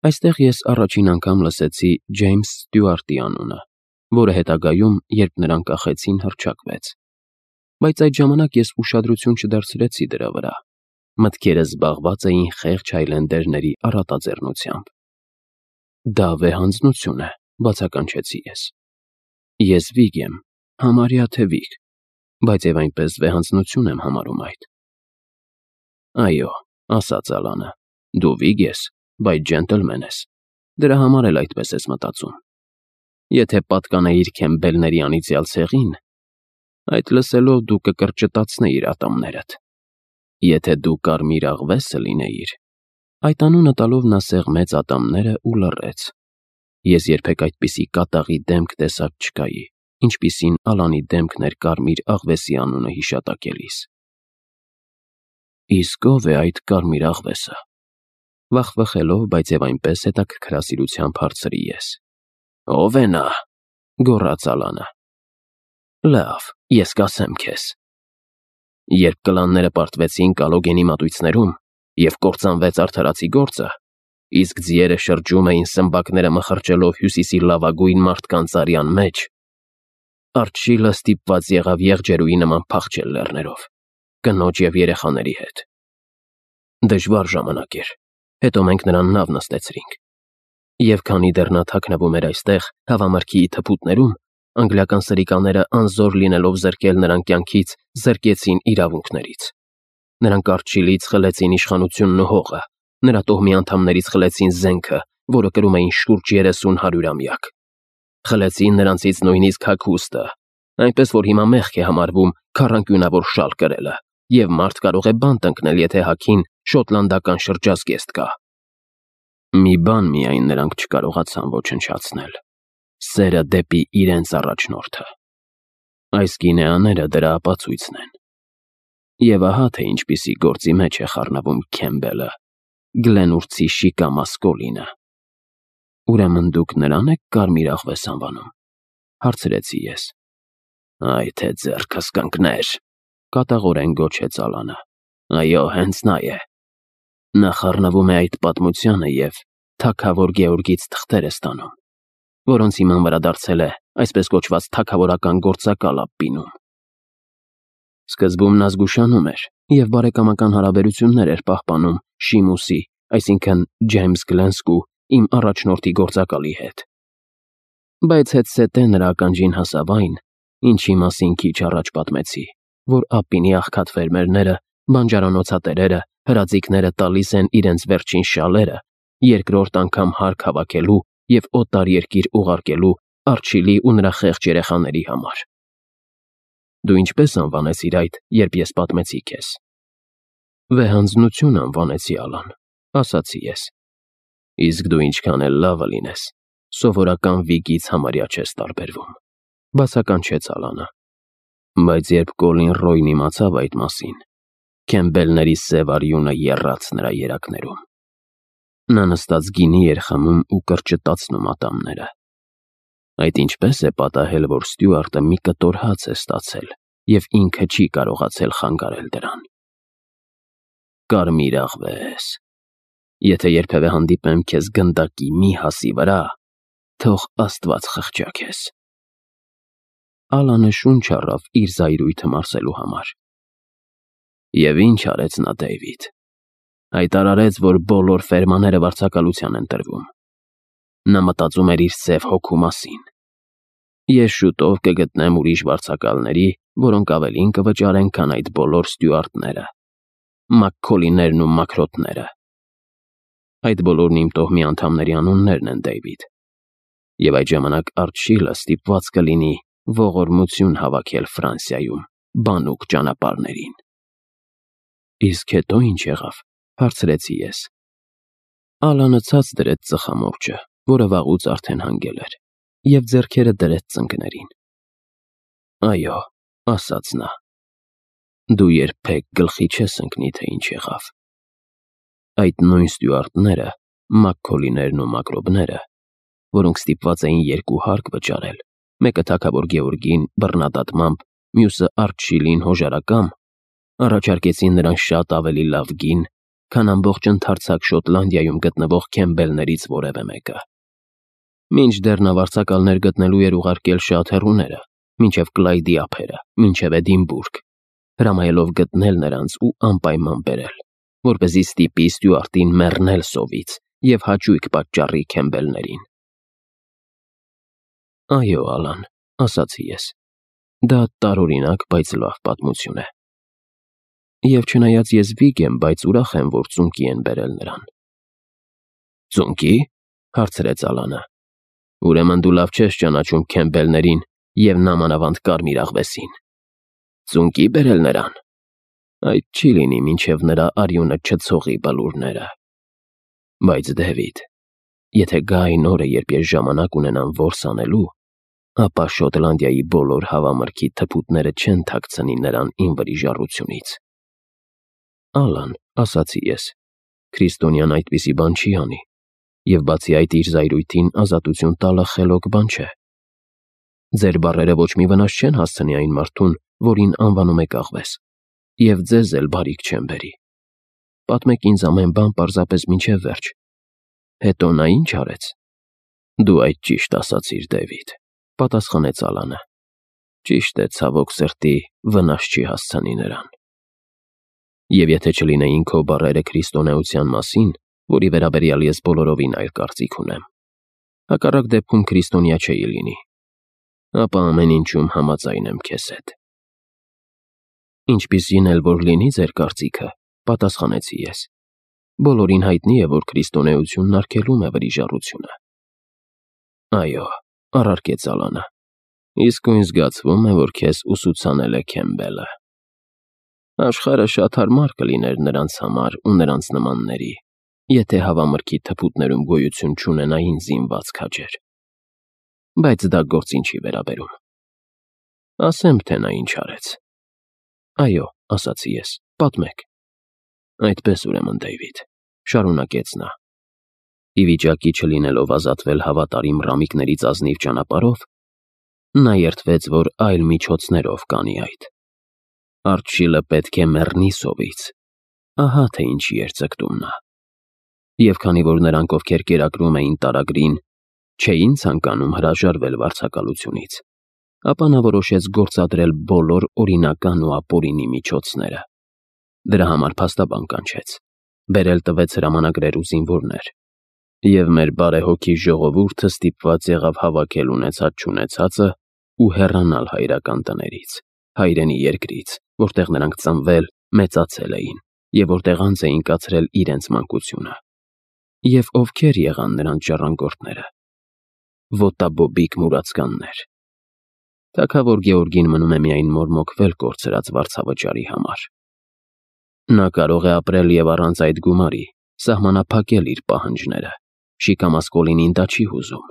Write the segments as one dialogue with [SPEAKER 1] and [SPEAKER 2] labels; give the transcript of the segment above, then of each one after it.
[SPEAKER 1] Այստեղ ես առաջին անգամ լսեցի Ջեյմս Ստյուարտի անունը, որը հետագայում, երբ նրան կախեցին, հռչակվեց։ Բայց այդ ժամանակ ես ուշադրություն չդարձրեցի դրա վրա։ Մտքերս զբաղված էին խեղճ հայլենդերների առատաձեռնությամբ։ Դա վեհանձնություն է, բացականչեցի ես։ Ես վիգ եմ, համարյա թե վիգ, բայց եւ այնպես վեհանձնություն եմ համարում այդ։ Այո, ասաց Ալանը, դու վիգ ես, բայց ջենտլմեն ես, դրա համար էլ այդպես ես մտածում։ Եթե պատկանեիր Քեմբելների անիծյալ ցեղին, այդ լսելով դու կկրճտացնեիր ատամներդ։ Եթե դու կարմիր աղվեսը լինեիր, այդ անունը տալով նա սեղմեց ատամները ու լռեց։ Ես երբեք այդպիսի կատաղի դեմք տեսած չկայի, ինչպիսին Ալանի դեմքն էր կարմիր աղվեսի անունը հիշատակելիս։ Իսկ ով է այդ կարմիր աղվեսը։ Վախվխելով, բայց եւ այնպես հետաքրքրասիրությամբ հարցրի ես։ Ով է նա, գոռաց Ալանը։ Լավ, ես կասեմ քեզ։ Երբ կլանները պարտվեցին Կալոգենի մատույցներում եւ կործանվեց արդարացի գործը, իսկ ձիերը շրջում էին սմբակները մխրճելով հյուսիսի լավագույն մարդկանց արյան մեջ, Արչիլը ստիպված եղավ եղջերուի նման փախչել լեռներով, կնոջ եւ երեխաների հետ։ Դժվար ժամանակ էր, հետո մենք նրան նավ նստեցրինք։ Եվ քանի դեռ նա թաքնվում էր այստեղ, հավամրգի թփուտներում, անգլիական սրիկաները անզոր լինելով զրկել նրան կյանքից, զրկեցին իրավունքներից։ Նրանք Արչիլից խլեցին իշխանությունն ու հողը, նրա տոհմի անդամներից խլեցին զենքը, որը կրում էին շուրջ 30 հարյուրամյակ։ Խլեցին նրանցից նույնիսկ հագուստը, այնպես որ հիմա մեղք է համարվում քառանկյունավոր շալ կրելը, եւ մարդ կարող է բանտ ընկնել, եթե հագին շոտլանդական շրջազգեստ կա։ Մի բան միայն նրանք չկարողացան ոչնչացնել. սերը դեպի իրենց առաջնորդը։ Այս գինեաները դրա ապացույցն են։ Եվ ահա թե ինչպիսի գործի մեջ է խառնվում Քեմբելը, Գլենուրցի Շիկա Մասկոլինը։ Ուրեմն դուք նրան եք կարմիր աղվես անվանում, հարցրեցի ես։ Այ թե ձեռքս կընկներ, կատաղորեն գոչեց Ալանը։ Այո, հենց նա է։ Նա խառնվում է այդ պատմությանը եւ թագավոր Գեորգից թղթեր է ստանում, որոնց հիման վրա դարձել է այսպես կոչված թագավորական գործակալ Աբբինում։ Սկզբում նա զգուշանում էր եւ բարեկամական հարաբերություններ էր պահպանում Շիմուսի, այսինքն Ջեյմս Գլենսկու, իմ առաջնորդի գործակալի հետ։ Բայց հետսետե նրա ականջին հասավ այն, ինչի մասին քիչ առաջ պատմեցի, որ Աբբինի աղքատ ֆերմերները, բանջարանոցատերերը, հրաձիկները տալիս են իրենց վերջին շալերը երկրորդ անգամ հարկ հավաքելու եւ օտար երկիր ուղարկելու Արչիլի ու նրա խեղճ երեխաների համար։ Դու ինչպես անվանեցիր այդ, երբ ես պատմեցի քեզ։ Վեհանձնություն անվանեցի, Ալան, ասացի ես։ Իսկ դու ինչքան էլ լավը լինես, սովորական վիգից համարյա չես տարբերվում, բացականչեց Ալանը։ Բայց երբ Կոլին Ռոյն իմացավ այդ մասին, Քեմբելների սև արյունը եռաց նրա երակներում։ Նա նստած գինի էր խմում ու կրճտացնում ատամները։ Այդ ինչպես է պատահել, որ Ստյուարտը մի կտոր հաց է ստացել եւ ինքը չի կարողացել խանգարել դրան։ Կարմիր աղվես, եթե երբևէ հանդիպեմ քեզ գնդակի մի հասի վրա, թող Աստված խղճա քեզ։ Ալանը շունչ առավ իր զայրույթը մարսելու համար։ Եվ ինչ արեց նա, Դեյվիդ։ Հայտարարեց, որ բոլոր ֆերմաները վարձակալության են տրվում։ Նա մտածում էր իր սև հոգու մասին։ Ես շուտով կգտնեմ ուրիշ վարձակալների, որոնք ավելին կվճարեն, քան այդ բոլոր Ստյուարտները, Մաքքոլիներն ու Մաքրոթները։ Այդ բոլորն իմ տոհմի անդամների անուններն են, Դեյվիդ։ Եվ այդ ժամանակ Արչիլը ստիպված կլինի ողորմություն հավաքել Ֆրանսիայում, բանուկ ճանապարհներին։ Իսկ հետո ինչ եղավ, հարցրեցի ես։ Ալանը ցած դրեց ծխամորճը, որը վաղուց արդեն հանգել էր, եւ ձեռքերը դրեց ծնկներին։ Այո, ասաց նա։ Դու երբեք գլխի չես ընկնի, թե ինչ եղավ։ Այդ նույն Ստյուարտները, Մաքքոլիներն ու Մակրոբները, որոնք ստիպված էին երկու հարկ վճարել, մեկը թագավոր Գեորգին բռնադատմամբ, մյուսը Արչիլին հոժարակամ, առաջարկեցին նրան շատ ավելի լավ գին, քան ամբողջ ընդարձակ Շոտլանդիայում գտնվող Քեմբելներից որևէ մեկը։ Մինչդեռ նա վարձակալներ գտնելու էր ուղարկել շատ հեռուները, մինչև Կլայդի ափերը, մինչև Էդինբուրգ, հրամայելով գտնել նրանց ու անպայման բերել, որպեսզի ստիպի Ստյուարտին մեռնել սովից և հաճույք պատճառի Քեմբելներին։ Այո, Ալան, ասացի ես, դա տարօրինակ, բայց լավ պատմություն է։ Եվ չնայած ես վիգ եմ, բայց ուրախ եմ, որ ծունկի են բերել նրան։ Ծունկի՞, հարցրեց Ալանը։ Ուրեմն դու լավ չես ճանաչում Քեմբելներին և նամանավանդ կարմիր աղվեսին։ Ծունկի բերել նրան։ Այդ չի լինի, մինչև նրա արյունը չցողի բլուրները։ Բայց Դեվիդ, եթե գա այն օրը, երբ ես ժամանակ ունենամ որս անելու, ապա Շոտլանդիայի բոլոր հավամրգի թփուտները չեն թաքցնի նրան իմ վրիժառությունից։ Ալան, ասացի ես, քրիստոնյան այդպիսի բան չի անի, և բացի այդ իր զայրույթին ազատություն տալը խելոք բան չէ։ Ձեր բառերը ոչ մի վնաս չեն հասցնի այն մարդուն, որին անվանում եք աղվես, և ձեզ էլ բարիք չեն բերի։ Պատմեք ինձ ամեն բան պարզապես մինչև վերջ։ Հետո նա ինչ արեց։ Դու այդ ճիշտ ասացիր, Դեվիդ, պատասխանեց Ալանը։ Ճիշտ է, ցավոք սրտի, վնաս չի հասցնի նրան։ Եվ եթե չլինեին քո բառերը քրիստոնեության մասին, որի վերաբերյալ ես բոլորովին այլ կարծիք ունեմ, հակառակ դեպքում քրիստոնյա չէի լինի, ապա ամեն ինչում համաձայն եմ քեզ հետ։ Ինչպիսին էլ որ լինի ձեր կարծիքը, պատասխանեցի ես, բոլորին հայտնի է, որ քրիստոնեությունն արգելում է վրիժառությունը։ Այո, առարկեց Ալանը, իսկույն զգացվում է, որ քեզ ուսուցանել է Քեմբելը։ Աշխարհը շատ հարմար կլիներ նրանց համար ու նրանց նմանների, եթե հավամրգի թփուտներում գոյություն չունենային զինված քաջեր։ Բայց դա գործին չի վերաբերում։ Ասեմ, թե նա ինչ արեց։ Այո, ասացի ես, պատմեք։ Այդպես ուրեմն, Դեյվիդ, շարունակեց նա։ Ի վիճակի չլինելով ազատվել հավատարիմ ռամիկներից ազնիվ ճանապարհով, նա երդվեց, որ այլ միջոցներով կանի այդ։ Արչիլը պետք է մեռնի սովից։ Ահա թե ինչի էր ձգտում նա։ Եվ քանի որ նրանք, ովքեր կերակրում էին տարագրին, չէին ցանկանում հրաժարվել վարձակալությունից, ապա նա որոշեց գործադրել բոլոր օրինական ու ապօրինի միջոցները։ Դրա համար փաստաբան կանչեց, բերել տվեց հրամանագրեր ու զինվորներ, և մեր բարեհոգի ժողովուրդը ստիպված եղավ հավաքել ունեցած-չունեցածը ու հեռանալ հայրական տներից, հայրենի երկրից, որտեղ նրանք ծնվել, մեծացել էին և որտեղ անց էին կացրել իրենց մանկությունը։ Եվ ովքեր եղան նրանց ժառանգորդները։ Ոտաբոբիկ մուրացկաններ։ Թագավոր Գեորգին մնում է միայն մորմոքվել կորցրած վարձավճարի համար։ Նա կարող է ապրել և առանց այդ գումարի, սահմանափակել իր պահանջները, Շիկամասկոլինին դա չի հուզում։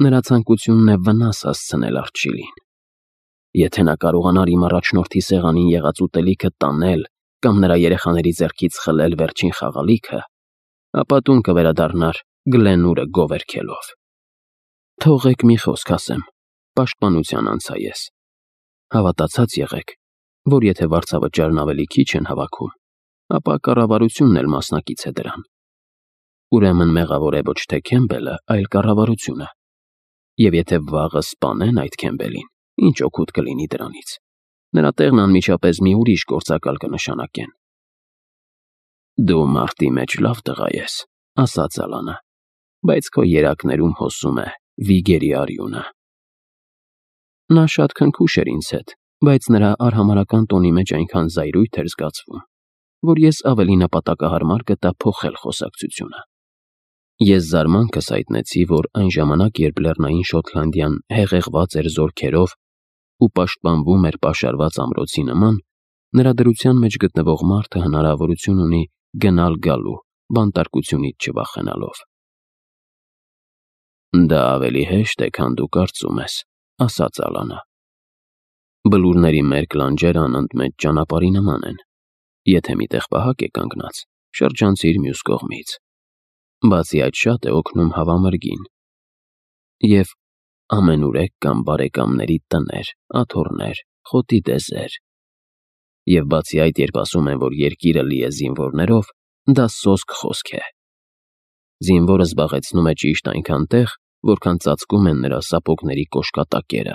[SPEAKER 1] Նրա ցանկությունն է վնաս հասցնել Արչիլին։ Եթե նա կարողանար իմ առաջնորդի սեղանին եղած ուտելիքը տանել կամ նրա երեխաների ձեռքից խլել վերջին խաղալիքը, ապա տուն կվերադառնար Գլենուրը գովերգելով։ Թողեք մի խոսք ասեմ, պաշտպանության անցա ես։ Հավատացած եղեք, որ եթե վարձավճարն ավելի քիչ են հավաքում, ապա կառավարությունն էլ մասնակից է դրան։ Ուրեմն մեղավոր է ոչ թե Քեմբելը, այլ կառավարությունը։ Եվ եթե վաղը սպանեն այդ Քեմբելին, ինչ օգուտ կլինի դրանից։ Նրա տեղն անմիջապես մի ուրիշ գործակալ կնշանակեն։ Դու մարտի մեջ լավ տղա ես, ասաց Ալանը, բայց քո երակներում հոսում է վիգերի արյունը։ Նա շատ քնքուշ էր ինձ հետ, բայց նրա արհամարհական տոնի մեջ այնքան զայրույթ էր զգացվում, որ ես ավելի նպատակահարմար գտա փոխել խոսակցությունը։ Ես զարմանքս հայտնեցի, որ այն ժամանակ, երբ Լեռնային Շոտլանդիան հեղեղված էր զորքերով ու պաշտպանվում էր պաշարված ամրոցի նման, նրա դրության մեջ գտնվող մարդը հնարավորություն ունի գնալ-գալու, բանտարկությունից չվախենալով։ Դա ավելի հեշտ է, քան դու կարծում ես, ասաց Ալանը։ Բլուրների մերկ լանջերը անընդմեջ ճանապարհի նման են։ Եթե միտեղ պահակ է կանգնած, շրջանցիր մյուս կողմից։ Բացի այդ շատ է օգնում հավամրգին։ Եվ ամենուրեք կամ բարեկամների տներ, աթոռներ, խոտի դեզեր։ Եվ բացի այդ, երբ ասում են, որ երկիրը լի է զինվորներով, դա սոսկ խոսք է։ Զինվորը զբաղեցնում է ճիշտ այնքան տեղ, որքան ծածկում են նրա սապոգների կոշկատակերը։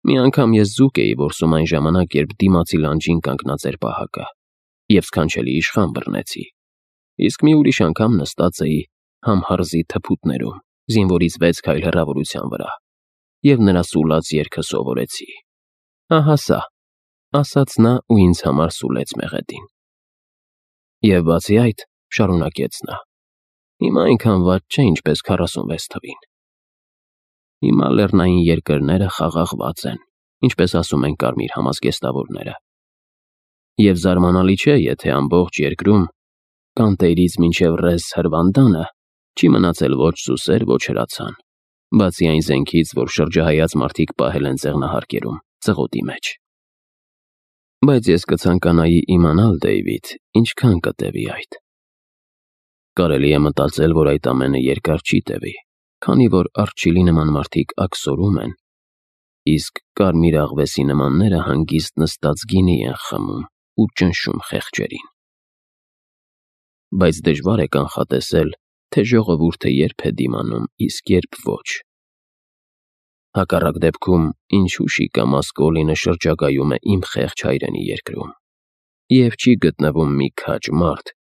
[SPEAKER 1] Մի անգամ ես ձուկ էի որսում այն ժամանակ, երբ դիմացի լանջին կանգնած էր պահակը, և սքանչելի իշխան բռնեցի, իսկ մի ուրիշ անգամ նստած էի համհարզի թփուտներում, զինվորից 6 քայլ հեռավորության վրա, և նրա սուլած երգը սովորեցի։ Ահա սա, ասաց նա ու ինձ համար սուլեց մեղեդին։ Եվ բացի այդ, շարունակեց նա, հիմա այնքան վատ չէ, ինչպես 46 թվին։ Հիմա լեռնային երկրները խաղաղված են, ինչպես ասում են կարմիր համազգեստավորները։ Եվ զարմանալի չէ, եթե ամբողջ երկրում, կանտեյրից մինչև ռես հրվանդանը, չի մնացել ոչ սուսեր, ոչ հրացան, բացի այն զենքից, որ շրջահայաց մարդիկ պահել են ձեղնահարկերում, ծղոտի մեջ։ Բայց ես կցանկանայի իմանալ, Դեյվիդ, ինչքան կտևի այդ։ Կարելի է մտածել, որ այդ ամենը երկար չի տևի, քանի որ Արչիլի նման մարդիկ աքսորում են, իսկ կարմիր աղվեսի նմանները հանգիստ նստած գինի են խմում ու ճնշում խեղճերին։ Բայց դժվար է կանխատեսել, թե ժողովուրդը երբ է դիմանում, իսկ երբ ոչ։ Հակառակ դեպքում, ինչու շիկա Մասկոլինը շրջագայում է իմ խեղճ հայրենի երկրում, և չի գտնվում մի քաջ մարդ,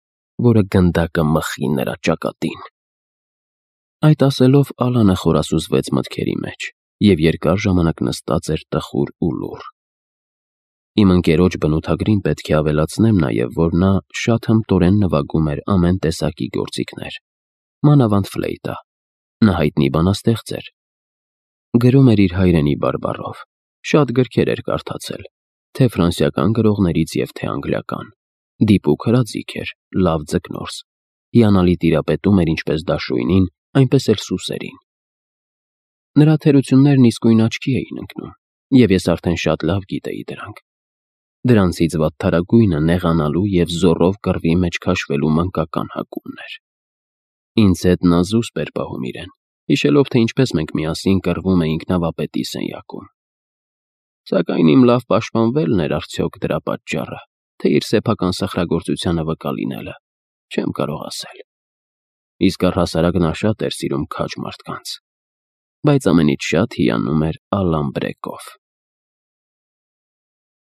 [SPEAKER 1] որը գնդակը մխի նրա ճակատին։ Այդ ասելով Ալանը խորասուզվեց մտքերի մեջ և երկար ժամանակ նստած էր տխուր ու լուռ։ Իմ ընկերոջ բնութագրին պետք է ավելացնեմ նաև, որ նա շատ հմտորեն նվագում էր ամեն տեսակի գործիքներ, մանավանդ ֆլեյտա, նա հայտնի բանաստեղծ էր։ Գրում էր իր հայրենի բարբառով, շատ գրքեր էր կարդացել, թե ֆրանսիական գրողներից և թե անգլիական, դիպուկ հրաձիգ էր, լավ ձկնորս, հիանալի տիրապետում էր ինչպես դաշույնին, այնպես էլ սուսերին։ Նրա թերություններն իսկույն աչքի էին ընկնում, և ես արդեն շատ լավ գիտեի դրանք։ Դրանցից վատթարագույնը նեղանալու և զոռով կռվի մեջ քաշվելու մանկական հակումն էր։ Ինձ հետ նա զուսպ էր պահում իրեն, հիշելով, թե ինչպես մենք միասին կռվում էինք նավապետի սենյակում։ Սակայն իմ լավ պաշտպանվելն էր արդյոք դրա պատճառը, թե իր սեփական սխրագործությանը վկա լինելը, չեմ կարող ասել։ Իսկ առհասարակ նա շատ էր սիրում քաջ մարդկանց, բայց ամենից շատ հիանում էր Ալան Բրեկով։